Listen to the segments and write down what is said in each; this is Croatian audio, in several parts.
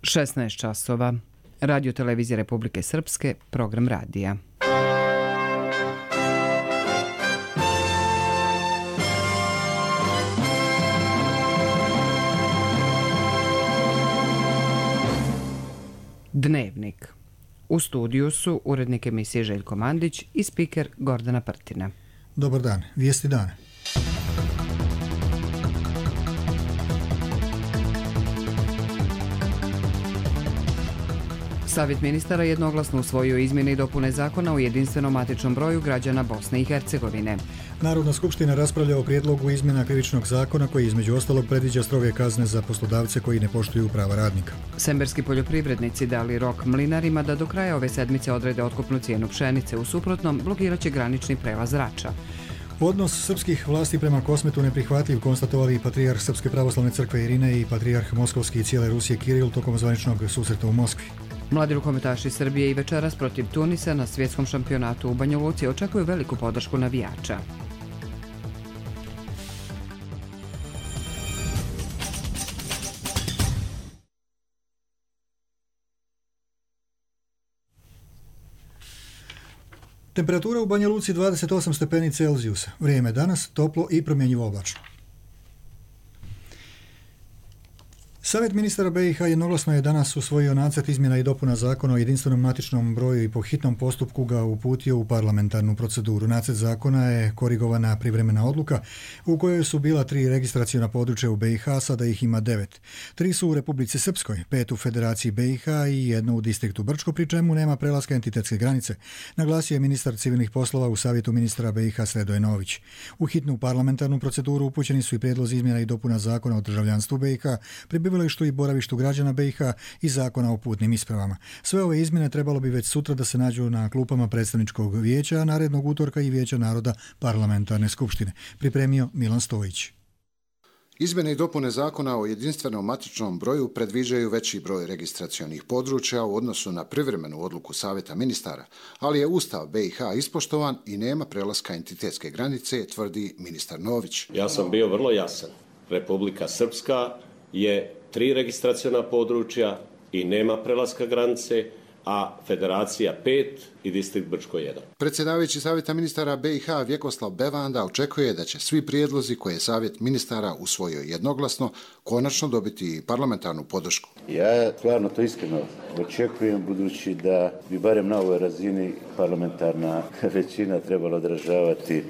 16 časova. Radio Televizija Republike Srpske, program radija. Dnevnik. U studiju su urednik emisije Željko Mandić i spiker Gordana Prtina. Dobar dan, vijesti dana. Savjet ministara jednoglasno usvojio izmjene i dopune zakona o jedinstvenom matičnom broju građana Bosne i Hercegovine. Narodna skupština raspravlja o prijedlogu izmjena krivičnog zakona koji između ostalog predviđa stroge kazne za poslodavce koji ne poštuju prava radnika. Semberski poljoprivrednici dali rok mlinarima da do kraja ove sedmice odrede otkupnu cijenu pšenice, u suprotnom blokirat će granični prelaz Rača. Odnos srpskih vlasti prema Kosmetu neprihvatljiv, konstatovali i patrijarh Srpske pravoslavne crkve Irine i patrijarh Moskovski i cijele Rusije Kiril tokom zvaničnog susreta u Moskvi. Mladi rukometaši Srbije i večeras protiv Tunisa na svjetskom šampionatu u Banja Luci očekuju veliku podršku navijača. Temperatura u Banja Luci 28 stepeni Celzijusa. Vrijeme danas toplo i promjenjivo oblačno. Savjet ministara BiH jednoglasno je danas usvojio nacrt izmjena i dopuna zakona o jedinstvenom matičnom broju i po hitnom postupku ga uputio u parlamentarnu proceduru. Nacrt zakona je korigovana privremena odluka u kojoj su bila 3 registraciona područja u BiH, sada ih ima 9. 3 su u Republici Srpskoj, 5 u Federaciji BiH i 1 u distriktu Brčko, pri čemu nema prelaska entitetske granice, naglasio je ministar civilnih poslova u Savjetu ministara BiH Sredoje Nović. U hitnu parlamentarnu proceduru upućeni su i prijedlozi izmjena i dopuna zakona o državljanstvu BiH, prebivalištu i boravištu građana BiH i zakona o putnim ispravama. Sve ove izmjene trebalo bi već sutra da se nađu na klupama predstavničkog vijeća, a narednog utorka i Vijeća naroda parlamentarne skupštine. Pripremio Milan Stojić. Izmjene i dopune zakona o jedinstvenom matičnom broju predviđaju veći broj registracionih područja u odnosu na privremenu odluku Savjeta ministara, ali je Ustav BiH ispoštovan i nema prelaska entitetske granice, tvrdi ministar Nović. Ja sam bio vrlo jasan. Republika Srpska je 3 registraciona područja i nema prelaska granice, a Federacija 5 i distrikt Brčko 1. Predsjedavajući Savjeta ministara BiH Vjekoslav Bevanda očekuje da će svi prijedlozi koje je Savjet ministara usvojio jednoglasno konačno dobiti parlamentarnu podršku. Ja stvarno to iskreno očekujem, budući da bi barem na ovoj razini parlamentarna većina trebala odražavati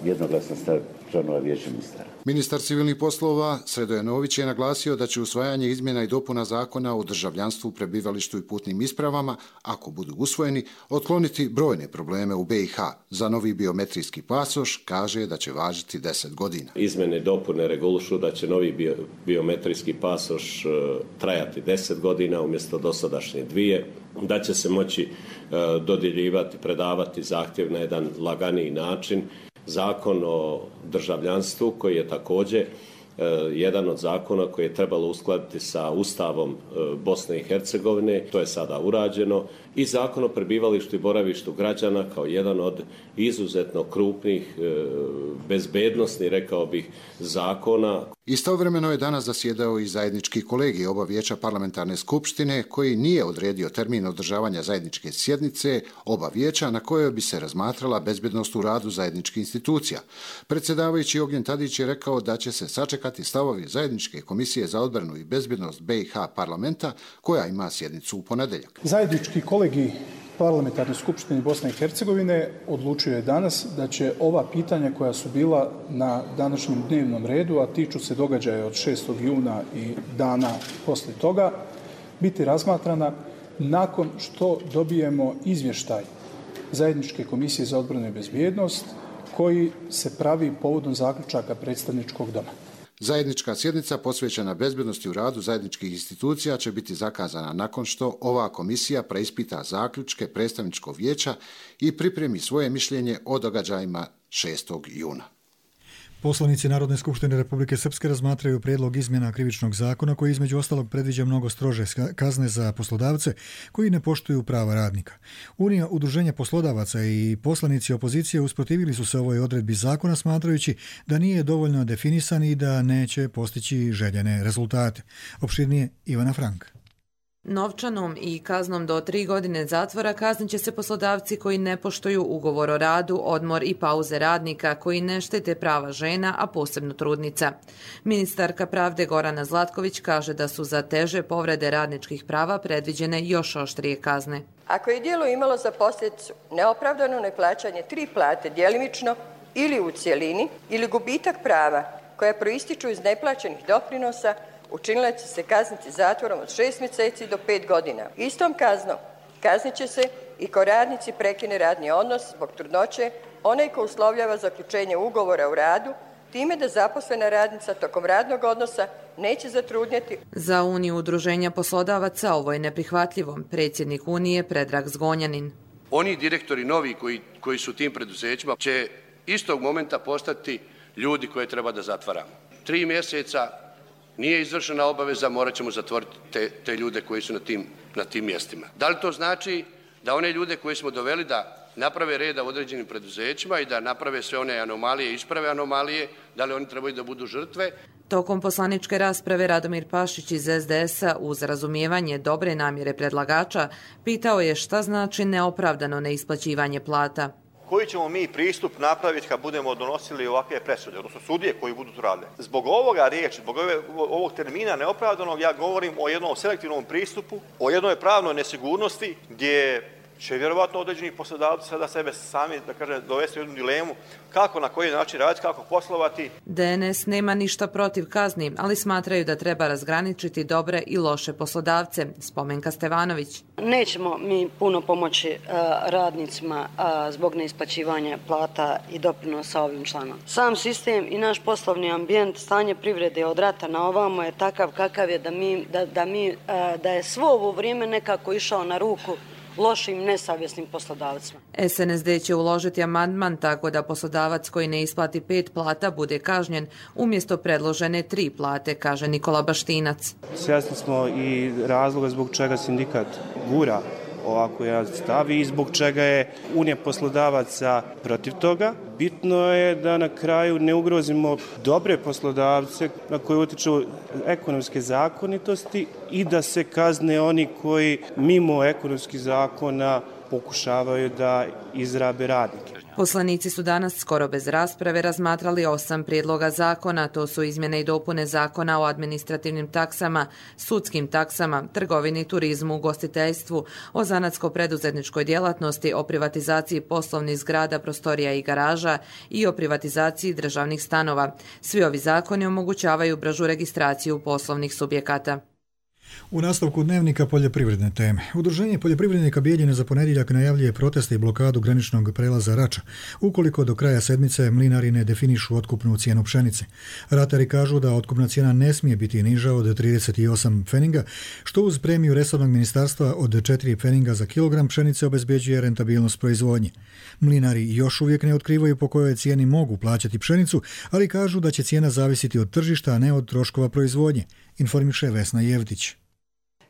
jednoglasan stav članova Vijeća ministara. Ministar civilnih poslova Sredoje Nović je naglasio da će usvajanje izmjena i dopuna zakona o državljanstvu, prebivalištu i putnim ispravama, ako budu usvojeni, otkloniti brojne probleme u BiH. Za novi biometrijski pasoš kaže da će važiti 10 godina. Izmjene i dopune regulišu da će novi biometrijski pasoš trajati 10 godina umjesto dosadašnje 2, da će se moći dodjeljivati, predavati zahtjev na jedan laganiji način. Zakon o državljanstvu koji je također jedan od zakona koji je trebalo uskladiti sa Ustavom Bosne i Hercegovine, to je sada urađeno, i zakon o prebivalištu i boravištu građana kao jedan od izuzetno krupnih, bezbednosnih, rekao bih, zakona. Istovremeno je danas zasjedao i zajednički kolegij oba vijeća parlamentarne skupštine koji nije odredio termin održavanja zajedničke sjednice oba vijeća na kojoj bi se razmatrala bezbednost u radu zajedničkih institucija. Predsjedavajući Ognjen Tadić je rekao da će se sačekati stavovi zajedničke komisije za odbranu i bezbednost BiH parlamenta koja ima sjednicu u ponedjeljak. Zajednički kolegij Parlamentarne skupštine Bosne i Hercegovine odlučio je danas da će ova pitanja koja su bila na današnjem dnevnom redu, a tiču se događaja od 6. juna i dana poslije toga, biti razmatrana nakon što dobijemo izvještaj Zajedničke komisije za odbranu i bezbjednost koji se pravi povodom zaključaka predstavničkog doma. Zajednička sjednica posvećena bezbednosti u radu zajedničkih institucija će biti zakazana nakon što ova komisija preispita zaključke predstavničkog vijeća i pripremi svoje mišljenje o događajima 6. juna. Poslanici Narodne skupštine Republike Srpske razmatraju prijedlog izmjena krivičnog zakona koji između ostalog predviđa mnogo strože kazne za poslodavce koji ne poštuju prava radnika. Unija udruženja poslodavaca i poslanici opozicije usprotivili su se ovoj odredbi zakona smatrajući da nije dovoljno definisan i da neće postići željene rezultate. Opširnije Ivana Frank. Novčanom i kaznom do 3 godine zatvora kaznit će se poslodavci koji ne poštuju ugovor o radu, odmor i pauze radnika, koji ne štete prava žena, a posebno trudnica. Ministarka pravde Gorana Zlatković kaže da su za teže povrede radničkih prava predviđene još oštrije kazne. Ako je djelo imalo za posljedicu neopravdano neplaćanje 3 plate djelimično ili u cjelini ili gubitak prava koja proističu iz neplaćenih doprinosa, učinilac će se kazniti zatvorom od 6 mjeseci do 5 godina. Istom kaznom kaznit će se i ko radnici prekine radni odnos zbog trudnoće, onaj ko uslovljava zaključenje ugovora o radu, time da zaposlena radnica tokom radnog odnosa neće zatrudnjeti. Za Uniju udruženja poslodavaca ovo je neprihvatljivo. Predsjednik Unije Predrag Zgonjanin. Oni direktori novi koji su tim preduzećima će istog momenta postati ljudi koje treba da zatvaramo. 3 mjeseca nije izvršena obaveza, morat ćemo zatvoriti te ljude koji su na tim mjestima. Da li to znači da one ljude koje smo doveli da naprave reda u određenim preduzećima i da naprave sve one anomalije, isprave anomalije, da li oni trebaju da budu žrtve? Tokom poslaničke rasprave Radomir Pašić iz SDS-a uz razumijevanje dobre namjere predlagača pitao je šta znači neopravdano neisplaćivanje plata. Koji ćemo mi pristup napraviti kad budemo donosili ovakve presude, odnosno sudije koji budu to radile? Zbog ovoga riječi, zbog ovog termina neopravdanog, ja govorim o jednom selektivnom pristupu, o jednoj pravnoj nesigurnosti gdje će vjerovatno određeni poslodavci sada sebe sami, da kažem, dovesti u jednu dilemu kako, na koji način raditi, kako poslovati. DNS nema ništa protiv kazni, ali smatraju da treba razgraničiti dobre i loše poslodavce. Spomenka Stevanović. Nećemo mi puno pomoći radnicima zbog neisplaćivanja plata i doprinosa ovim članom. Sam sistem i naš poslovni ambijent, stanje privrede od rata na ovamo je takav kakav je da je svo ovo vrijeme nekako išao na ruku lošim, nesavjesnim poslodavcima. SNSD će uložiti amandman tako da poslodavac koji ne isplati 5 plata bude kažnjen umjesto predložene 3 plate, kaže Nikola Baštinac. Svjesni smo i razloga zbog čega sindikat gura ovako jedan stav i zbog čega je Unija poslodavaca protiv toga. Bitno je da na kraju ne ugrozimo dobre poslodavce na koje utiču ekonomske zakonitosti i da se kazne oni koji mimo ekonomskih zakona pokušavaju da izrabe radnike. Poslanici su danas skoro bez rasprave razmatrali 8 prijedloga zakona, to su izmjene i dopune zakona o administrativnim taksama, sudskim taksama, trgovini, turizmu, ugostiteljstvu, o zanatsko-preduzetničkoj djelatnosti, o privatizaciji poslovnih zgrada, prostorija i garaža i o privatizaciji državnih stanova. Svi ovi zakoni omogućavaju bržu registraciju poslovnih subjekata. U nastavku dnevnika poljoprivredne teme. Udruženje poljoprivrednika Bijeljine za ponedjeljak najavljuje proteste i blokadu graničnog prelaza Rača, ukoliko do kraja sedmice mlinari ne definišu otkupnu cijenu pšenice. Ratari kažu da otkupna cijena ne smije biti niža od 38 pfeninga, što uz premiju resornog ministarstva od 4 pfeninga za kilogram pšenice obezbeđuje rentabilnost proizvodnje. Mlinari još uvijek ne otkrivaju po kojoj cijeni mogu plaćati pšenicu, ali kažu da će cijena zavisiti od tržišta, a ne od troškova proizvodnje, informiše Vesna Jevdić.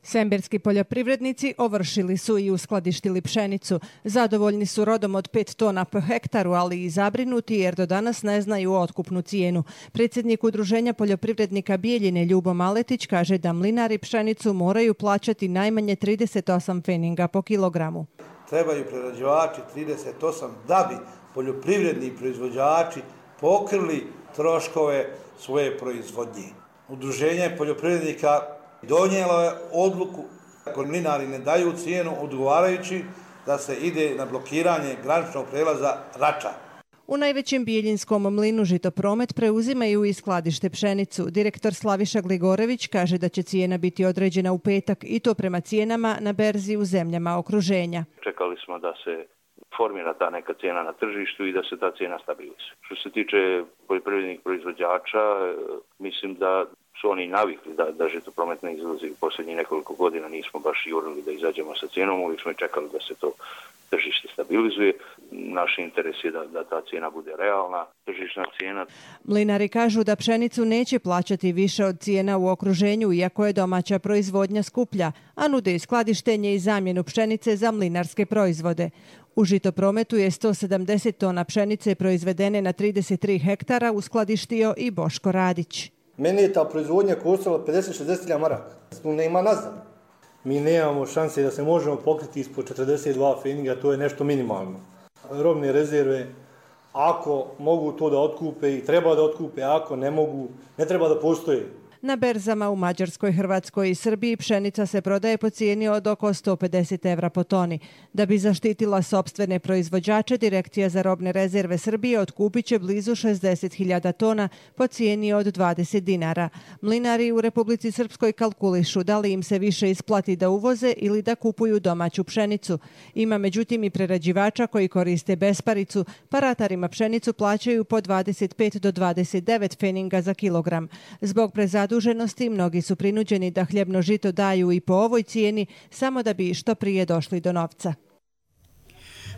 Semberski poljoprivrednici ovršili su i uskladištili pšenicu. Zadovoljni su rodom od 5 tona po hektaru, ali i zabrinuti jer do danas ne znaju otkupnu cijenu. Predsjednik Udruženja poljoprivrednika Bijeljine Ljubo Maletić kaže da mlinari pšenicu moraju plaćati najmanje 38 pfeninga po kilogramu. Trebaju prerađivači 38 da bi poljoprivredni proizvođači pokrili troškove svoje proizvodnje. Udruženje poljoprivrednika donijelo je odluku ako mlinari ne daju cijenu odgovarajući da se ide na blokiranje graničnog prelaza Rača. U najvećem bijeljinskom mlinu Žitopromet preuzimaju i skladište pšenicu. Direktor Slaviša Gligorević kaže da će cijena biti određena u petak i to prema cijenama na berzi u zemljama okruženja. Čekali smo da se formira ta neka cijena na tržištu i da se ta cijena stabilizuje. Što se tiče poljoprivrednih proizvođača, mislim da su oni navikli da Žitopromet ne izlazi u posljednjih nekoliko godina, nismo baš jurili da izađemo sa cijenom, uvijek smo čekali da se to tržište stabilizuje. Naš interes je da ta cijena bude realna, tržišna cijena. Mlinari kažu da pšenicu neće plaćati više od cijena u okruženju, iako je domaća proizvodnja skuplja, a nude i skladištenje i zamjenu pšenice za mlinarske proizvode. U Žitoprometu je 170 tona pšenice proizvedene na 33 hektara uskladištio i Boško Radić. Meni je ta proizvodnja koštala 50-60 maraka. Ne ima nazad. mi nemamo šanse da se možemo pokriti ispod 42 pfenninga, to je nešto minimalno. Robne rezerve, ako mogu to da otkupe i treba da otkupe, ako ne mogu, ne treba da postoje. Na berzama u Mađarskoj, Hrvatskoj i Srbiji pšenica se prodaje po cijeni od oko 150 evra po toni. Da bi zaštitila sopstvene proizvođače, Direkcija za robne rezerve Srbije otkupit će blizu 60.000 tona po cijeni od 20 dinara. Mlinari u Republici Srpskoj kalkulišu da li im se više isplati da uvoze ili da kupuju domaću pšenicu. Ima međutim i prerađivača koji koriste besparicu, pa ratarima pšenicu plaćaju po 25 do 29 pfenninga za kilogram. Zbog prezaduženosti mnogi su prinuđeni da hljebno žito daju i po ovoj cijeni samo da bi što prije došli do novca.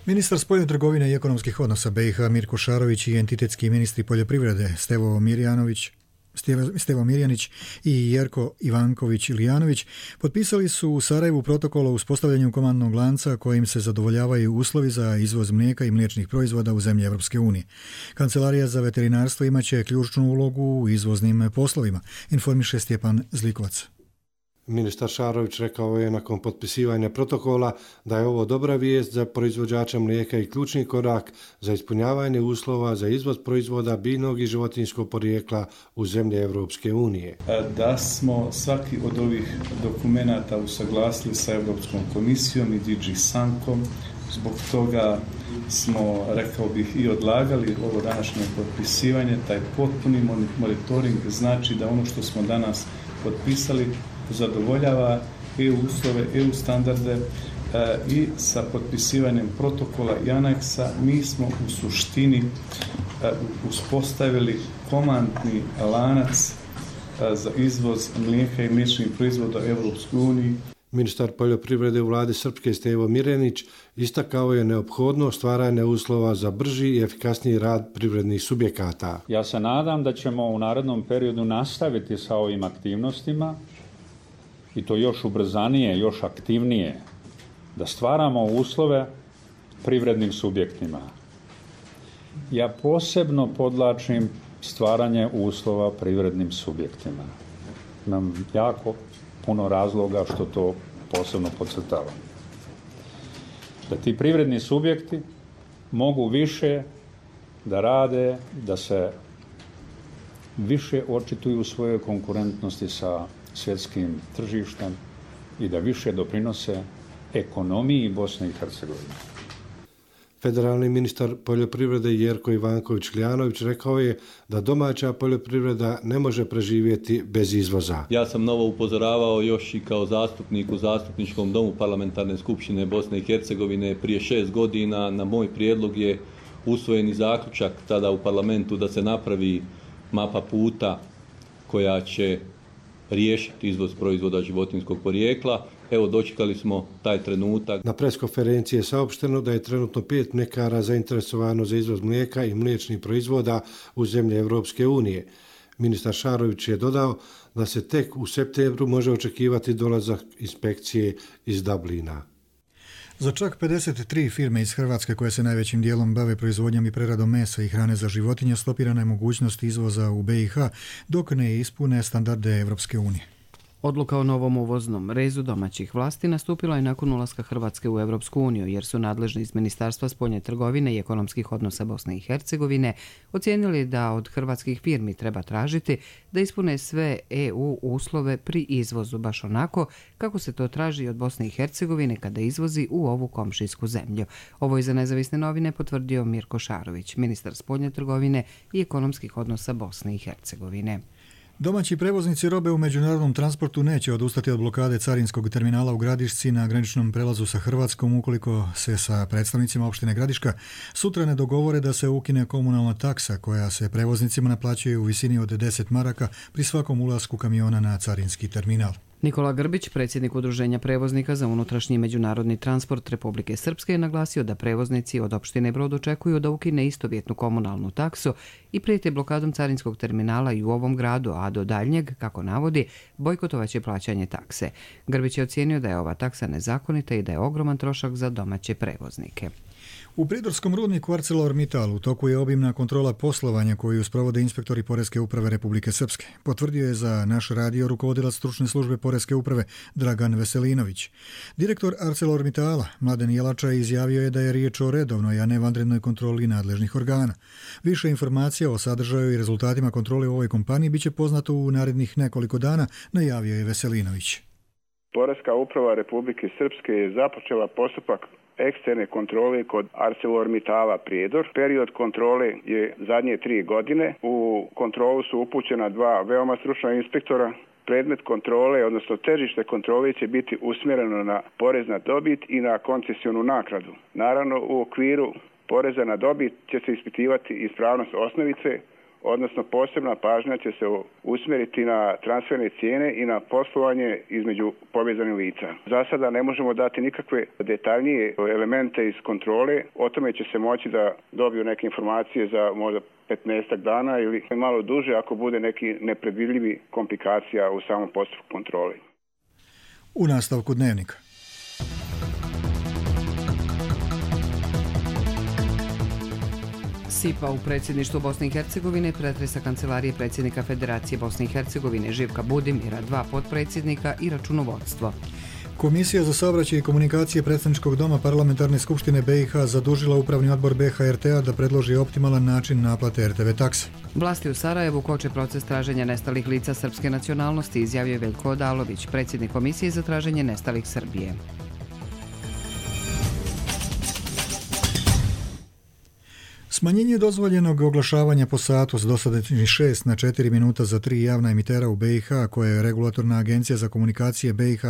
Ministar spoljne trgovine i ekonomskih odnosa BiH Mirko Šarović i entitetski ministri poljoprivrede Stevo Mirjanić i Jerko Ivanković-Ilijanović potpisali su u Sarajevu protokol o uspostavljanju komandnog lanca kojim se zadovoljavaju uslovi za izvoz mlijeka i mliječnih proizvoda u zemlje Europske unije. Kancelarija za veterinarstvo imaće ključnu ulogu u izvoznim poslovima, informiše Stjepan Zlikovac. Ministar Šarović rekao je nakon potpisivanja protokola da je ovo dobra vijest za proizvođača mlijeka i ključni korak za ispunjavanje uslova za izvoz proizvoda biljnog i životinjskog porijekla u zemlje Europske unije. Da smo svaki od ovih dokumenata usaglasili sa Europskom komisijom i DG Sankom, zbog toga smo, rekao bih, i odlagali ovo današnje potpisivanje. Taj potpuni monitoring znači da ono što smo danas potpisali zadovoljava EU uslove, EU standarde i sa potpisivanjem protokola i aneksa mi smo u suštini uspostavili komandni lanac za izvoz mlijeka i mliječnih proizvoda u Europskoj uniji. Ministar poljoprivrede u vladi Srpske Stevo Mirjanić istakao je neophodnost stvaranja uslova za brži i efikasniji rad privrednih subjekata. Ja se nadam da ćemo u narednom periodu nastaviti sa ovim aktivnostima i to još ubrzanije, još aktivnije, da stvaramo uslove privrednim subjektima. Ja posebno podlačim stvaranje uslova privrednim subjektima. Imam jako puno razloga što to posebno podcrtavam. Da ti privredni subjekti mogu više da rade, da se više očituju u svojoj konkurentnosti sa svjetskim tržištem i da više doprinose ekonomiji Bosne i Hercegovine. Federalni ministar poljoprivrede Jerko Ivanković-Ilijanović rekao je da domaća poljoprivreda ne može preživjeti bez izvoza. Ja sam novo upozoravao još i kao zastupnik u Zastupničkom domu Parlamentarne skupštine Bosne i Hercegovine prije 6 godina. Na moj prijedlog je usvojeni zaključak tada u parlamentu da se napravi mapa puta koja će riješiti izvoz proizvoda životinjskog porijekla. Evo, dočekali smo taj trenutak. Na preskonferenciji je saopšteno da je trenutno 5 mljekara zainteresovano za izvoz mlijeka i mliječnih proizvoda u zemlje Europske unije. Ministar Šarović je dodao da se tek u septembru može očekivati dolazak inspekcije iz Dublina. Za čak 53 firme iz Hrvatske koje se najvećim dijelom bave proizvodnjom i preradom mesa i hrane za životinje stopirana je mogućnost izvoza u BiH dok ne ispune standarde Europske unije. Odluka o novom uvoznom rezu domaćih vlasti nastupila je nakon ulaska Hrvatske u Europsku uniju, jer su nadležni iz Ministarstva spoljne trgovine i ekonomskih odnosa Bosne i Hercegovine ocijenili da od hrvatskih firmi treba tražiti da ispune sve EU uslove pri izvozu, baš onako kako se to traži od Bosne i Hercegovine kada izvozi u ovu komšijsku zemlju. Ovo je za Nezavisne novine potvrdio Mirko Šarović, ministar spoljne trgovine i ekonomskih odnosa Bosne i Hercegovine. Domaći prevoznici robe u međunarodnom transportu neće odustati od blokade carinskog terminala u Gradišci na graničnom prelazu sa Hrvatskom ukoliko se sa predstavnicima opštine Gradiška sutra ne dogovore da se ukine komunalna taksa koja se prevoznicima naplaćuje u visini od 10 maraka pri svakom ulasku kamiona na carinski terminal. Nikola Grbić, predsjednik Udruženja prevoznika za unutrašnji i međunarodni transport Republike Srpske, je naglasio da prevoznici od opštine Brod očekuju da ukine istovjetnu komunalnu taksu i prijete blokadom carinskog terminala i u ovom gradu, a do daljnjeg, kako navodi, bojkotovaće plaćanje takse. Grbić je ocijenio da je ova taksa nezakonita i da je ogroman trošak za domaće prevoznike. U pridorskom rudniku ArcelorMittal u toku je obimna kontrola poslovanja koju sprovode inspektori Poreske uprave Republike Srpske. Potvrdio je za naš radio rukovodilac stručne službe Poreske uprave Dragan Veselinović. Direktor ArcelorMittala Mladen Jelača izjavio je da je riječ o redovnoj, a ne vanrednoj kontroli nadležnih organa. Više informacija o sadržaju i rezultatima kontrole u ovoj kompaniji biće poznato u narednih nekoliko dana, najavio je Veselinović. Poreska uprava Republike Srpske je započela postupak eksterne kontrole kod ArcelorMittala Prijedor. Period kontrole je zadnje 3 godine. U kontrolu su upućena 2 veoma stručna inspektora. Predmet kontrole, odnosno težište kontrole će biti usmjereno na porez na dobit i na koncesionu naknadu. Naravno, u okviru poreza na dobit će se ispitivati ispravnost osnovice, odnosno posebna pažnja će se usmjeriti na transferne cijene i na poslovanje između povezanih lica. Za sada ne možemo dati nikakve detaljnije elemente iz kontrole, o tome će se moći da dobiju neke informacije za možda 15 dana ili malo duže ako bude neki nepredvidljivi komplikacija u samom postupku kontrole. U nastavku dnevnika. Sipa u predsjedništvu Bosne i Hercegovine pretresa kancelarije predsjednika Federacije Bosne i Hercegovine Živka Budimira, 2 potpredsjednika i računovodstvo. Komisija za saobraćaj i komunikacije Predstavničkog doma Parlamentarne skupštine BiH zadužila Upravni odbor BiH-RT-a da predloži optimalan način naplate RTV takse. Vlasti u Sarajevu koče proces traženja nestalih lica srpske nacionalnosti, izjavio je Veljko Odalović, predsjednik Komisije za traženje nestalih Srbije. Smanjenje dozvoljenog oglašavanja po satu s dosadašnjih 6 na 4 minuta za 3 javna emitera u BiH, koje je Regulatorna agencija za komunikacije BiH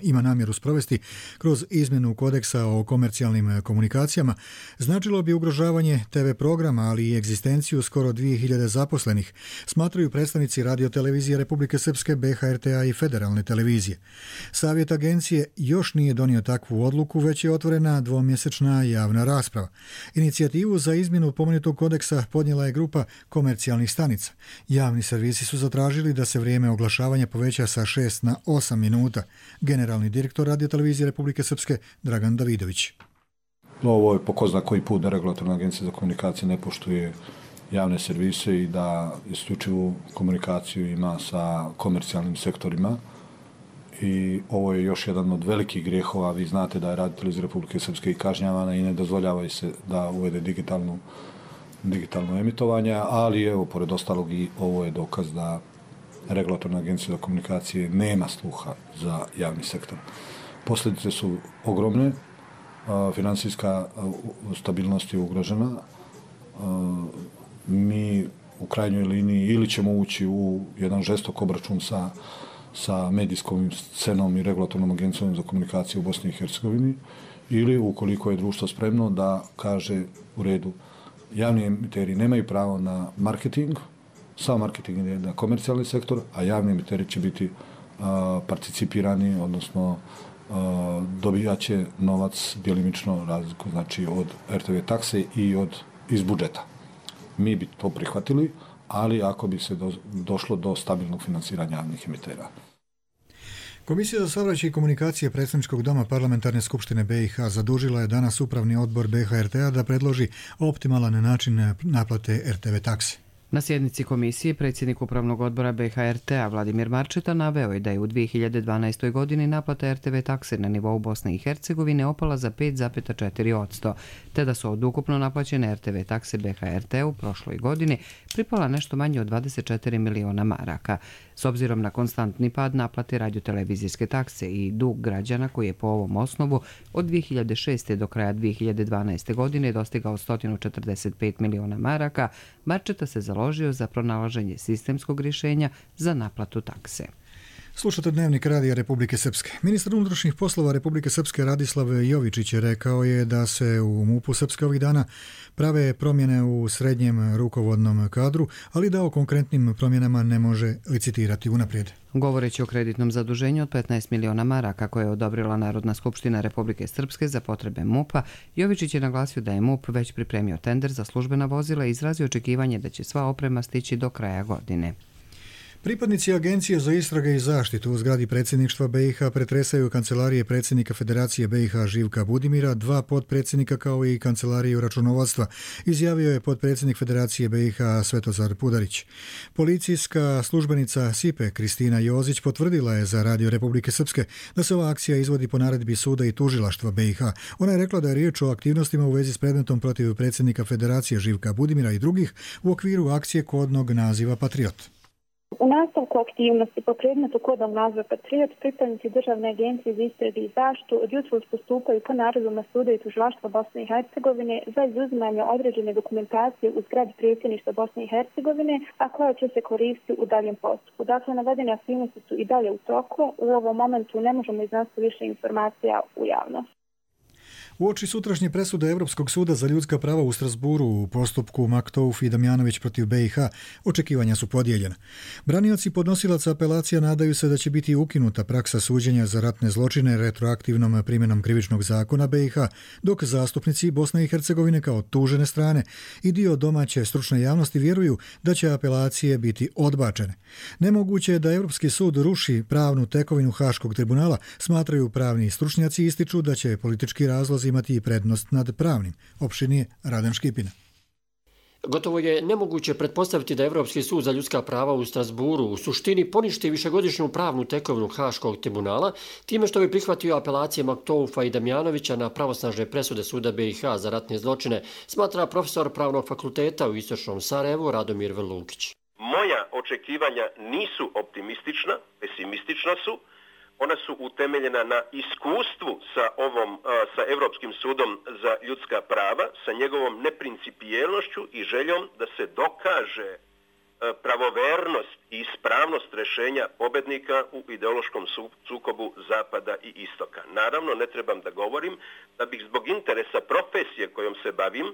ima namjeru sprovesti kroz izmjenu kodeksa o komercijalnim komunikacijama, značilo bi ugrožavanje TV programa, ali i egzistenciju skoro 2000 zaposlenih, smatraju predstavnici radiotelevizije Republike Srpske, BiH-RT-a i Federalne televizije. Savjet agencije još nije donio takvu odluku, već je otvorena 2-mjesečna javna rasprava. Inicijativu za izmjenu pomenutog kodeksa podnijela je grupa komercijalnih stanica. Javni servisi su zatražili da se vrijeme oglašavanja poveća sa 6 na 8 minuta. Generalni direktor radiotelevizije Republike Srpske Dragan Davidović. Ovo je po ko zna koji put da Regulatorna agencija za komunikacije ne poštuje javne servise i da isključivu komunikaciju ima sa komercijalnim sektorima. I ovo je još jedan od velikih grijehova. Vi znate da je radiotelevizija Republike Srpske i kažnjavana i ne dozvoljava se da uvede digitalno emitovanje, ali evo, pored ostalog, i ovo je dokaz da Regulatorna agencija za komunikacije nema sluha za javni sektor. Posljedice su ogromne, finansijska stabilnost je ugrožena. Mi u krajnjoj liniji ili ćemo ući u jedan žestok obračun sa medijskom scenom i Regulatornom agencijom za komunikaciju u Bosni i Hercegovini, ili ukoliko je društvo spremno da kaže u redu, javni emiteri nemaju pravo na marketing, sam marketing je na komercijalni sektor, a javni emiteri će biti participirani, odnosno dobijat će novac djelimično razliku, znači od RTV takse i iz budžeta. Mi bi to prihvatili, ali ako bi se došlo do stabilnog financiranja javnih emitera. Komisija za saobraćaj i komunikacije Predstavničkog doma Parlamentarne skupštine BiH zadužila je danas Upravni odbor BiH-RT-a da predloži optimalan način naplate RTV takse. Na sjednici komisije predsjednik Upravnog odbora BiH-RT-a Vladimir Marčeta naveo je da je u 2012. godini naplata RTV takse na nivou Bosne i Hercegovine opala za 5,4%, te da su od ukupno naplaćene RTV takse BiH-RT u prošloj godini pripala nešto manje od 24 miliona maraka. S obzirom na konstantni pad naplate radiotelevizijske takse i dug građana koji je po ovom osnovu od 2006. do kraja 2012. godine dostigao 145 miliona maraka, Marčeta se založio za pronalaženje sistemskog rješenja za naplatu takse. Slušate Dnevnik Radija Republike Srpske. Ministar unutrašnjih poslova Republike Srpske Radislav Jovičić je rekao je da se u MUP-u Srpske ovih dana prave promjene u srednjem rukovodnom kadru, ali da o konkretnim promjenama ne može licitirati unaprijed. Govoreći o kreditnom zaduženju od 15 miliona maraka koje je odobrila Narodna skupština Republike Srpske za potrebe MUP-a, Jovičić je naglasio da je MUP već pripremio tender za službena vozila i izrazio očekivanje da će sva oprema stići do kraja godine. Pripadnici Agencije za istrage i zaštitu u zgradi predsjedništva BiH pretresaju kancelarije predsjednika Federacije BiH Živka Budimira, 2 potpredsjednika kao i kancelariju računovodstva, izjavio je potpredsjednik Federacije BiH Svetozar Pudarić. Policijska službenica SIPE Kristina Jozić potvrdila je za Radio Republike Srpske da se ova akcija izvodi po naredbi suda i tužilaštva BiH. Ona je rekla da je riječ o aktivnostima u vezi s predmetom protiv predsjednika Federacije Živka Budimira i drugih u okviru akcije kodnog naziva Patriot. U nastavku aktivnosti po predmetu kodnog naziva Patriot pripadnici Državne agencije za istrage i zaštitu od jutros postupaju po naredbama suda i tužilaštva Bosne i Hercegovine za izuzimanje određene dokumentacije u zgradi predsjedništva Bosne i Hercegovine, a koja će se koristiti u daljem postupku. Dakle, navedene aktivnosti su i dalje u toku. U ovom momentu ne možemo iznositi više informacija u javnost. Uoči sutrašnje presude Europskog suda za ljudska prava u Strasburu u postupku Maktouf i Damjanović protiv BiH, očekivanja su podijeljena. Branioci podnosilaca apelacija nadaju se da će biti ukinuta praksa suđenja za ratne zločine retroaktivnom primjenom krivičnog zakona BiH, dok zastupnici Bosne i Hercegovine kao tužene strane i dio domaće stručne javnosti vjeruju da će apelacije biti odbačene. Nemoguće je da Europski sud ruši pravnu tekovinu Haškog tribunala, smatraju pravni stručnjaci i ističu da će politički razlozi imati i prednost nad pravnim. Opširnije Radan Škipina. Gotovo je nemoguće pretpostaviti da Europski sud za ljudska prava u Strasburu u suštini poništi višegodišnju pravnu tekovinu Haškog tribunala time što bi prihvatio apelacije Maktoufa i Damjanovića na pravosnažne presude suda BiH za ratne zločine, smatra profesor pravnog fakulteta u Istočnom Sarajevu Radomir Vrlukić. Moja očekivanja nisu optimistična, pesimistična su. Ona su utemeljena na iskustvu sa Europskim sudom za ljudska prava, sa njegovom neprincipijelnošću i željom da se dokaže pravovernost i ispravnost rješenja pobednika u ideološkom sukobu Zapada i Istoka. Naravno, ne trebam da govorim da bih zbog interesa profesije kojom se bavim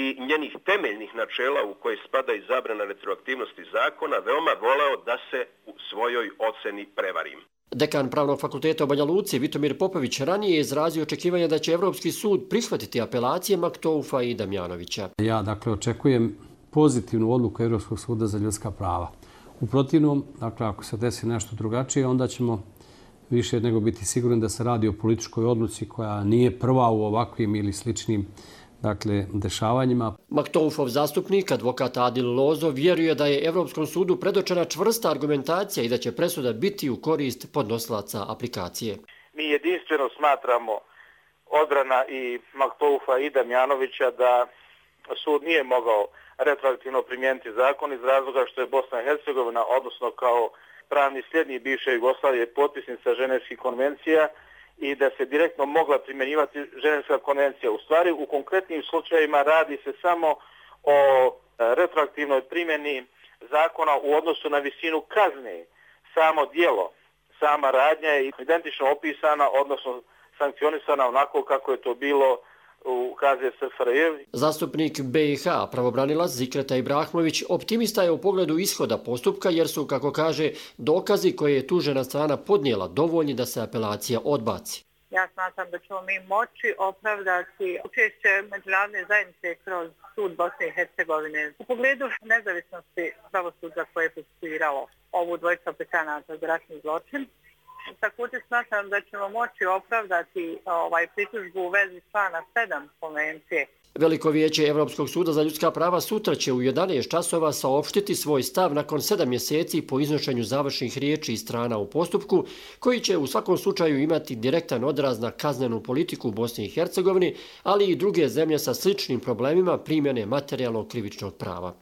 i njenih temeljnih načela u koje spada i zabrana retroaktivnosti zakona veoma voleo da se u svojoj oceni prevarim. Dekan Pravnog fakulteta u Banja Luci, Vitomir Popović, ranije je izrazio očekivanja da će Europski sud prihvatiti apelacije Maktoufa i Damjanovića. Ja, očekujem pozitivnu odluku Europskog suda za ljudska prava. U protivnom, ako se desi nešto drugačije, onda ćemo više nego biti sigurni da se radi o političkoj odluci koja nije prva u ovakvim ili sličnim dešavanjima. Maktoufov zastupnik, advokat Adil Lozo, vjeruje da je Europskom sudu predočena čvrsta argumentacija i da će presuda biti u korist podnosilaca aplikacije. Mi jedinstveno smatramo, odbrana i Maktoufa i Damjanovića, da sud nije mogao retroaktivno primijeniti zakon iz razloga što je Bosna i Hercegovina, odnosno kao pravni sljednik bivše Jugoslavije, potpisnica Ženevskih konvencija i da se direktno mogla primjenjivati Ženevska konvencija. U stvari, u konkretnim slučajevima radi se samo o retroaktivnoj primjeni zakona u odnosu na visinu kazne. Samo djelo, sama radnja je identično opisana, odnosno sankcionisana onako kako je to bilo u KZSFRJ. Zastupnik BiH, pravobranilac Zikreta Ibrahimović, optimista je u pogledu ishoda postupka jer su, kako kaže, dokazi koje je tužena strana podnijela dovoljni da se apelacija odbaci. Ja smatram da ćemo mi moći opravdati učešće međunarodne zajednice kroz sud Bosne i Hercegovine u pogledu nezavisnosti pravosuđa koje je procesuiralo ovu dvojicu aplikanata za ratni zločin. Također smatram da ćemo moći opravdati pritužbu u vezi člana 7 konvencije. Veliko vijeće Europskog suda za ljudska prava sutra će u 11 časova saopštiti svoj stav nakon 7 mjeseci po iznošenju završnih riječi i strana u postupku, koji će u svakom slučaju imati direktan odraz na kaznenu politiku u Bosni i Hercegovini, ali i druge zemlje sa sličnim problemima primjene materijalnog krivičnog prava.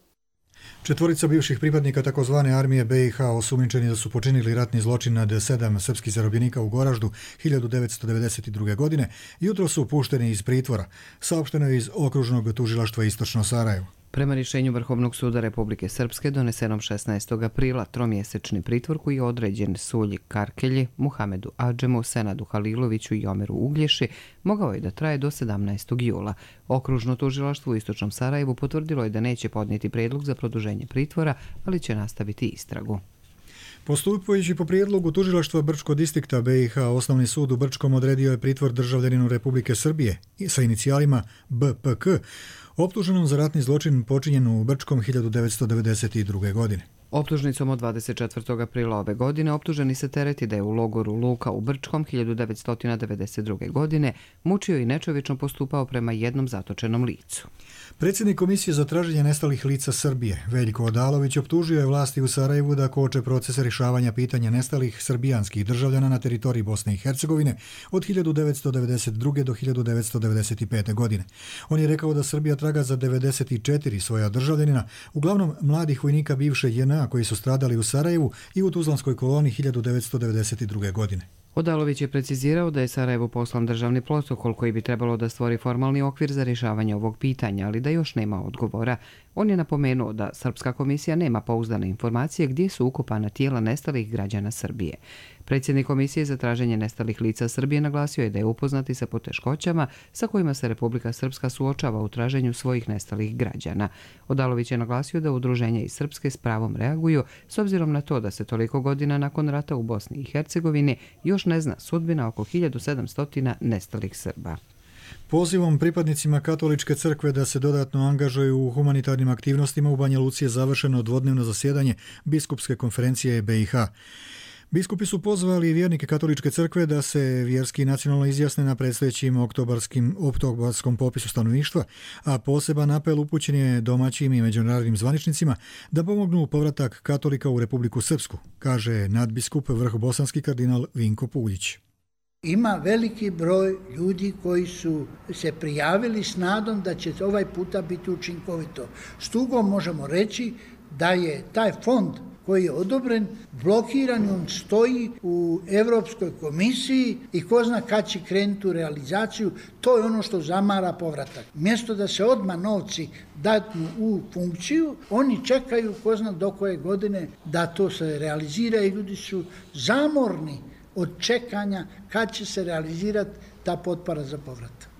4 bivših pripadnika takozvane armije BiH osumnjičeni da su počinili ratni zločin nad 7 srpskih zarobljenika u Goraždu 1992. godine jutro su pušteni iz pritvora, saopšteno je iz okružnog tužilaštva Istočno Sarajevo. Prema rješenju Vrhovnog suda Republike Srpske donesenom 16. aprila, tromjesečni pritvor koji je određen Sulji Karkelji, Muhamedu Adžemu, Senadu Haliloviću i Omeru Uglješi, mogao je da traje do 17. jula. Okružno tužilaštvo u Istočnom Sarajevu potvrdilo je da neće podnijeti prijedlog za produženje pritvora, ali će nastaviti istragu. Postupajući po prijedlogu tužilaštva Brčkog distrikta BiH, Osnovni sud u Brčkom odredio je pritvor državljaninu Republike Srbije sa inicijalima BPK, optuženom za ratni zločin počinjen u Brčkom 1992. godine. Optužnicom od 24. aprila ove godine optuženi se tereti da je u logoru Luka u Brčkom 1992. godine mučio i nečovječno postupao prema jednom zatočenom licu. Predsjednik Komisije za traženje nestalih lica Srbije, Veljko Odalović, optužio je vlasti u Sarajevu da koče proces rješavanja pitanja nestalih srbijanskih državljana na teritoriji Bosne i Hercegovine od 1992. do 1995. godine. On je rekao da Srbija traga za 94 svoja državljanina, uglavnom mladih vojnika bivše JNA koji su stradali u Sarajevu i u Tuzlanskoj koloni 1992. godine. Odalović je precizirao da je Sarajevu poslan državni protokol koji bi trebalo da stvori formalni okvir za rješavanje ovog pitanja, ali da još nema odgovora. On je napomenuo da Srpska komisija nema pouzdane informacije gdje su ukopana tijela nestalih građana Srbije. Predsjednik Komisije za traženje nestalih lica Srbije naglasio je da je upoznati sa poteškoćama sa kojima se Republika Srpska suočava u traženju svojih nestalih građana. Odalović je naglasio da udruženja iz Srpske s pravom reaguju s obzirom na to da se toliko godina nakon rata u Bosni i Hercegovini još ne zna sudbina oko 1700 nestalih Srba. Pozivom pripadnicima Katoličke crkve da se dodatno angažuju u humanitarnim aktivnostima u Banja Luci je završeno dvodnevno zasjedanje Biskupske konferencije BiH. Biskupi su pozvali vjernike Katoličke crkve da se vjerski i nacionalno izjasne na predstojećim oktobarskom popisu stanovništva, a poseban apel upućen je domaćim i međunarodnim zvaničnicima da pomognu povratak katolika u Republiku Srpsku, kaže nadbiskup vrhobosanski kardinal Vinko Puljić. Ima veliki broj ljudi koji su se prijavili s nadom da će ovaj puta biti učinkovito. S tugom možemo reći da je taj fond koji je odobren, blokiran, on stoji u Europskoj komisiji i ko zna kad će krenuti u realizaciju, to je ono što zamara povratak. Mjesto da se odmah novci datnu u funkciju, oni čekaju ko zna do koje godine da to se realizira i ljudi su zamorni od čekanja kad će se realizirati ta potpora za povratak.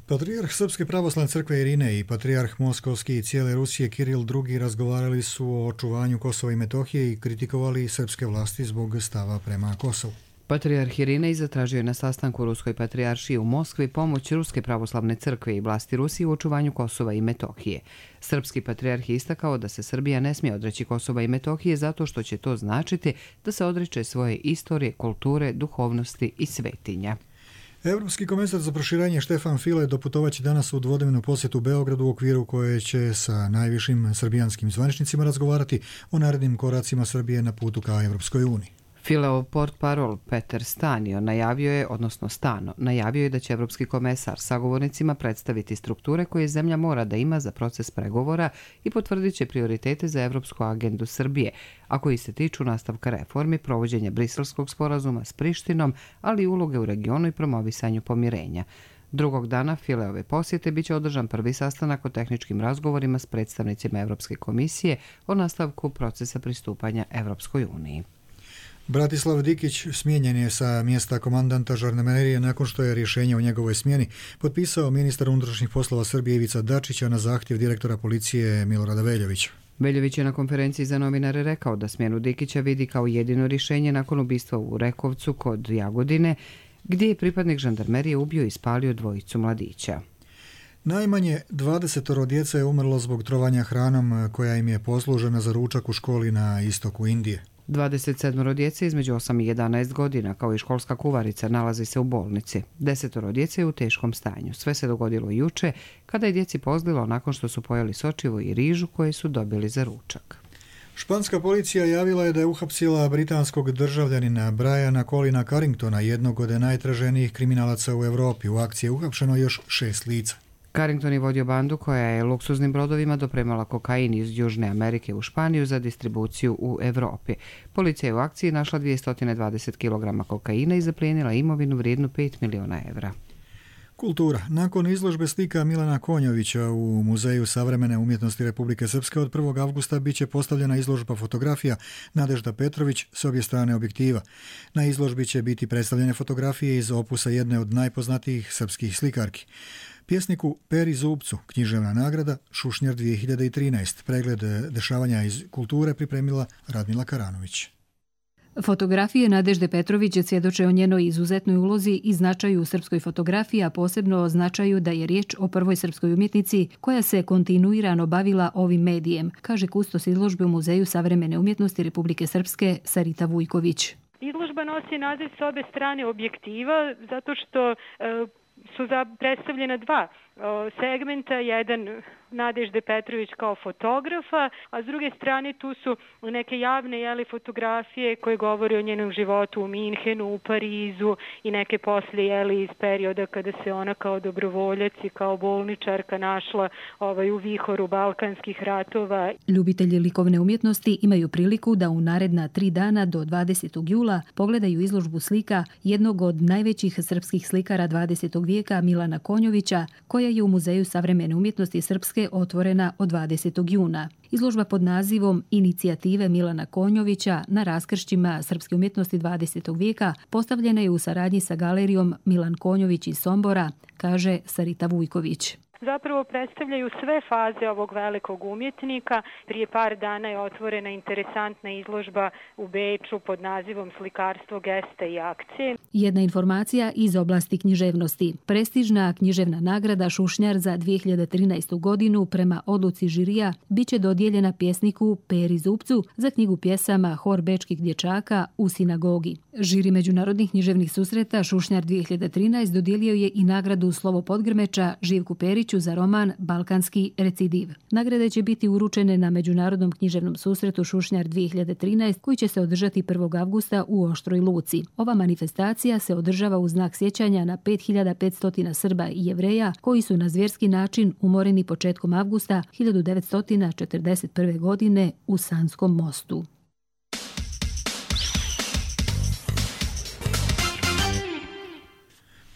Patrijarh Srpske pravoslavne crkve Irine i patrijarh Moskovski i cijele Rusije Kiril II razgovarali su o očuvanju Kosova i Metohije i kritikovali srpske vlasti zbog stava prema Kosovu. Patrijarh Irinej zatražio je na sastanku Ruskoj patrijaršiji u Moskvi pomoć Ruske pravoslavne crkve i vlasti Rusije u očuvanju Kosova i Metohije. Srpski patrijarh je istakao da se Srbija ne smije odreći Kosova i Metohije zato što će to značiti da se odriče svoje istorije, kulture, duhovnosti i svetinja. Europski komesar za proširenje Štefan File doputovaće danas u dvodnevnu posjetu Beogradu u okviru koje će sa najvišim srbijanskim zvaničnicima razgovarati o narednim koracima Srbije na putu ka Evropskoj uniji. Fileov portparol Peter Stano najavio je da će Evropski komesar sagovornicima predstaviti strukture koje zemlja mora da ima za proces pregovora i potvrdit će prioritete za evropsku agendu Srbije, a koji se tiču nastavka reformi, provođenja Briselskog sporazuma s Prištinom, ali i uloge u regionu i promovisanju pomirenja. Drugog dana Fileove posjete biće održan prvi sastanak o tehničkim razgovorima s predstavnicima Evropske komisije o nastavku procesa pristupanja Evropskoj uniji. Bratislav Dikić smijenjen je sa mjesta komandanta žandarmerije nakon što je rješenje o njegovoj smjeni potpisao ministar unutrašnjih poslova Srbije Ivica Dačića na zahtjev direktora policije Milorada Veljovića. Veljović je na konferenciji za novinare rekao da smjenu Dikića vidi kao jedino rješenje nakon ubistva u Rekovcu kod Jagodine, gdje je pripadnik žandarmerije ubio i spalio dvojicu mladića. Najmanje 20 djece je umrlo zbog trovanja hranom koja im je poslužena za ručak u školi na istoku Indije. 27 djece između 8 i 11 godina, kao i školska kuvarica, nalazi se u bolnici. 10 djece je u teškom stanju. Sve se dogodilo juče, kada je djeci pozlilo nakon što su pojeli sočivo i rižu koje su dobili za ručak. Španska policija javila je da je uhapsila britanskog državljanina Briana Colina Carringtona, jednog od najtraženijih kriminalaca u Europi. U akciji je uhapšeno još 6 lica. Carrington je vodio bandu koja je luksuznim brodovima dopremala kokain iz Južne Amerike u Španiju za distribuciju u Evropi. Policija je u akciji našla 220 kg kokaina i zaplijenila imovinu vrijednu 5 miliona evra. Kultura. Nakon izložbe slika Milana Konjovića u Muzeju savremene umjetnosti Republike Srpske od 1. avgusta biće postavljena izložba fotografija Nadežda Petrović s obje strane objektiva. Na izložbi će biti predstavljene fotografije iz opusa jedne od najpoznatijih srpskih slikarki. Pjesniku Peri Zubcu, književna nagrada Šušnjar 2013. Pregled dešavanja iz kulture pripremila Radmila Karanović. Fotografije Nadežde Petrović svjedoče o njenoj izuzetnoj ulozi i značaju u srpskoj fotografiji, a posebno o značaju da je riječ o prvoj srpskoj umjetnici koja se kontinuirano bavila ovim medijem, kaže kustos izložbe u Muzeju savremene umjetnosti Republike Srpske Sarita Vujković. Izložba nosi naziv s obe strane objektiva zato što su predstavljena dva segmenta, jedan Nadežde Petrović kao fotografa, a s druge strane tu su neke javne fotografije koje govore o njenom životu u Minhenu, u Parizu i neke poslije iz perioda kada se ona kao dobrovoljac i kao bolničarka našla u vihoru balkanskih ratova. Ljubitelji likovne umjetnosti imaju priliku da u naredna 3 dana do 20. jula pogledaju izložbu slika jednog od najvećih srpskih slikara 20. vijeka Milana Konjovića, koja je u Muzeju savremene umjetnosti Srpske otvorena od 20. juna. Izložba pod nazivom Inicijative Milana Konjovića na raskršćima srpske umjetnosti 20. vijeka postavljena je u saradnji sa galerijom Milan Konjović iz Sombora, kaže Sarita Vujković. Zapravo predstavljaju sve faze ovog velikog umjetnika. Prije par dana je otvorena interesantna izložba u Beču pod nazivom Slikarstvo, geste i akcije. Jedna informacija iz oblasti književnosti. Prestižna književna nagrada Šušnjar za 2013. godinu prema odluci žirija biće dodijeljena pjesniku Peri Zupcu za knjigu pjesama Hor bečkih dječaka u sinagogi. Žiri međunarodnih književnih susreta Šušnjar 2013 dodijelio je i nagradu Slovo Podgrmeča Živku Periću za roman Balkanski recidiv. Nagrade će biti uručene na Međunarodnom književnom susretu Šušnjar 2013 koji će se održati 1. avgusta u Oštroj Luci. Ova manifestacija se održava u znak sjećanja na 5500 Srba i Jevreja koji su na zvjerski način umoreni početkom avgusta 1941. godine u Sanskom mostu.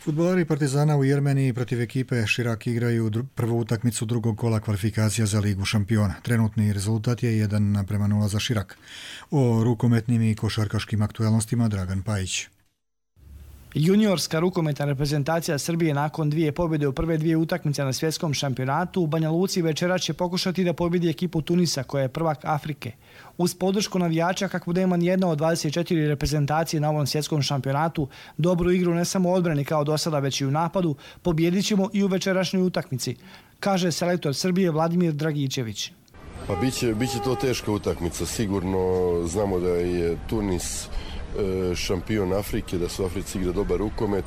Fudbalari Partizana u Jermeniji protiv ekipe Širak igraju prvu utakmicu drugog kola kvalifikacija za Ligu šampiona. Trenutni rezultat je 1:0 za Širak. O rukometnim i košarkaškim aktualnostima Dragan Pajić. Juniorska rukometna reprezentacija Srbije nakon 2 pobjede u prve 2 utakmice na svjetskom šampionatu u Banja Luci večeras će pokušati da pobjedi ekipu Tunisa koja je prvak Afrike. Uz podršku navijača kakvu nema nijedna od 24 reprezentacije na ovom svjetskom šampionatu, dobru igru ne samo u odbrani kao do sada već i u napadu, pobjedit ćemo i u večerašnjoj utakmici, kaže selektor Srbije Vladimir Dragičević. Pa biće to teška utakmica, sigurno znamo da je Tunis šampion Afrike, da su Africi igra dobar rukomet.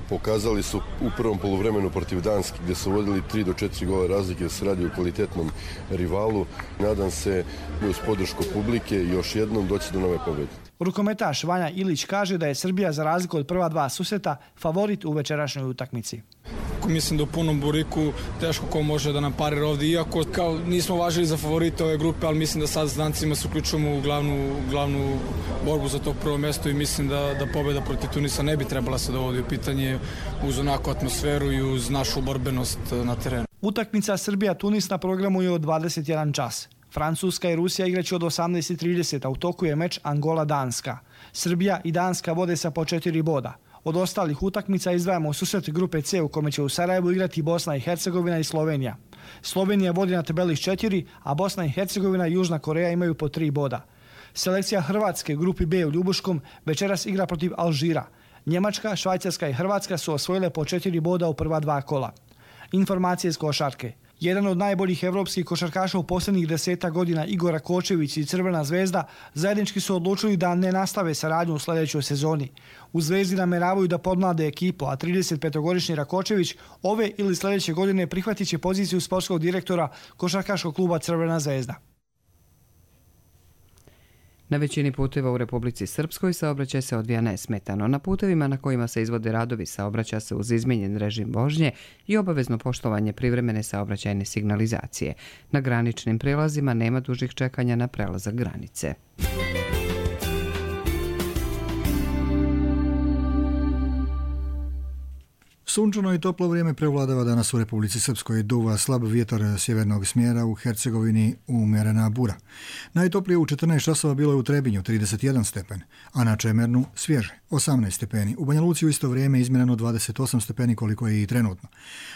Pokazali su u prvom poluvremenu protiv Danske gdje su vodili 3 do 4 gola razlike, da se radi o kvalitetnom rivalu. Nadam se uz podršku publike još jednom doći do nove pobjede. Rukometaš Vanja Ilić kaže da je Srbija za razliku od prva 2 susreta favorit u večerašnjoj utakmici. Mislim da u punom buriku teško ko može da nam parira ovdje, iako kao nismo važili za favorite ove grupe, ali mislim da sad s Dancima se uključujemo u glavnu borbu za to prvo mjesto i mislim da pobjeda protiv Tunisa ne bi trebala se dovodi u pitanje uz onakvu atmosferu i uz našu borbenost na terenu. Utakmica Srbija-Tunis na programu je od 21 čas. Francuska i Rusija igraće od 18:30, a u toku je meč Angola-Danska. Srbija i Danska vode sa po 4 boda. Od ostalih utakmica izdvajamo susret grupe C u kome će u Sarajevu igrati Bosna i Hercegovina i Slovenija. Slovenija vodi na tabeli s 4, a Bosna i Hercegovina i Južna Koreja imaju po 3 boda. Selekcija Hrvatske u grupi B u Ljubuškom večeras igra protiv Alžira. Njemačka, Švajcarska i Hrvatska su osvojile po 4 boda u prva 2 kola. Informacije iz košarke. Jedan od najboljih evropskih košarkaša u posljednjih 10 godina Igor Rakočević i Crvena zvezda zajednički su odlučili da ne nastave saradnju u sljedećoj sezoni. U Zvezdi nameravaju da podmlade ekipu, a 35-godišnji Rakočević ove ili sljedeće godine prihvatit će poziciju sportskog direktora košarkaškog kluba Crvena zvezda. Na većini puteva u Republici Srpskoj saobraćaj se odvija nesmetano. Na putevima na kojima se izvode radovi saobraća se uz izmijenjen režim vožnje i obavezno poštovanje privremene saobraćajne signalizacije. Na graničnim prelazima nema dužih čekanja na prelazak granice. Sunčano i toplo vrijeme prevladava danas u Republici Srpskoj. Duva slab vjetar sjevernog smjera, u Hercegovini umjerena bura. Najtoplije u 14 časova bilo je u Trebinju 31 stepen, a na Čemernu svježe 18 stepeni. U Banja Luci u isto vrijeme izmjereno 28 stepeni koliko je i trenutno.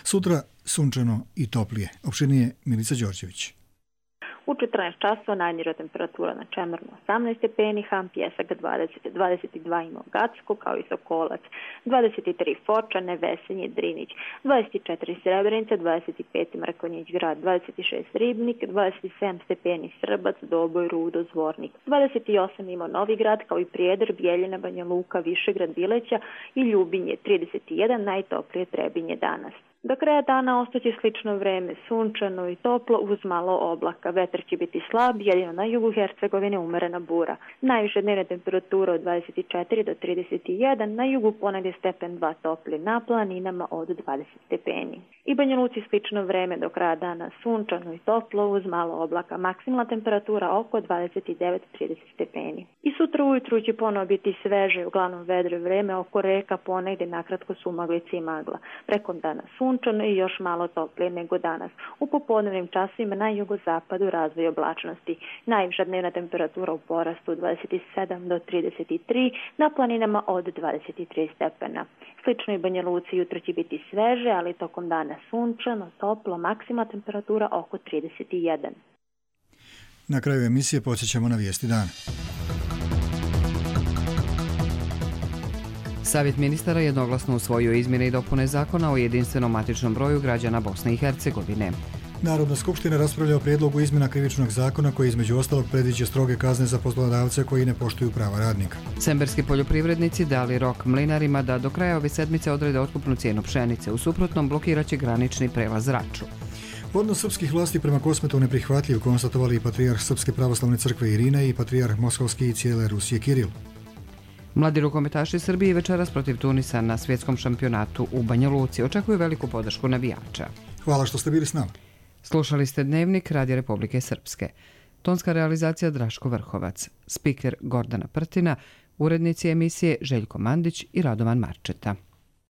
Sutra sunčano i toplije. Opširnije Milica Đorđević. U 14 časova najniža temperatura na Čemernu 18 stepeni, Ham Pjesak 20, 22 ima Gacko kao i Sokolac, 23 Foča, Nevesenje, Drinić, 24 Srebrenica, 25 Mrkonjić grad, 26 Ribnik, 27 stepeni Srbac, Doboj, Rudo, Zvornik, 28 ima Novi grad kao i Prijedor, Bijeljina, Banja Luka, Višegrad, Bileća i Ljubinje, 31 najtoplije Trebinje danas. Do kraja dana ostaće slično vreme, sunčano i toplo uz malo oblaka. Vetar će biti slab, jedino na jugu Hercegovine umerena bura. Najviše dnevne temperature od 24 do 31, na jugu ponegdje stepen 2 topli, na planinama od 20 stepeni. I Banja Luci slično vreme, do kraja dana sunčano i toplo uz malo oblaka. Maksimalna temperatura oko 29-30 stepeni. I sutra ujutru će ponovo biti sveže, uglavnom vedro vreme, oko reka ponegdje nakratko su maglice i magla. Preko dana sunčano i još malo toplije nego danas. U popodnevnim časovima na jugozapadu razvoj oblačnosti. Najviša dnevna temperatura u porastu 27 do 33, na planinama od 23 stepena. Slično i Banja Luci jutro će biti sveže, ali tokom dana sunčano, toplo, maksimalna temperatura oko 31. Na kraju emisije podsjećamo na vijesti dana. Savjet ministara jednoglasno usvojio izmjene i dopune zakona o jedinstvenom matičnom broju građana Bosne i Hercegovine. Narodna skupština raspravlja o prijedlogu izmjena krivičnog zakona koji između ostalog predviđa stroge kazne za poslodavce koji ne poštuju prava radnika. Semberski poljoprivrednici dali rok mlinarima da do kraja ove sedmice odrede otkupnu cijenu pšenice, u suprotnom blokiraće granični prelaz Raču. Odnos srpskih vlasti prema Kosmetu neprihvatljiv, konstatovali i patrijarh Srpske pravoslavne crkve Irine i patrijarh Moskovski i cijele Rusije Kiril. Mladi rukometaši Srbije večeras protiv Tunisa na svjetskom šampionatu u Banja Luci očekuju veliku podršku navijača. Hvala što ste bili s nama. Slušali ste Dnevnik Radija Republike Srpske. Tonska realizacija Draško Vrhovac, spiker Gordana Prtina, urednici emisije Željko Mandić i Radovan Marčeta.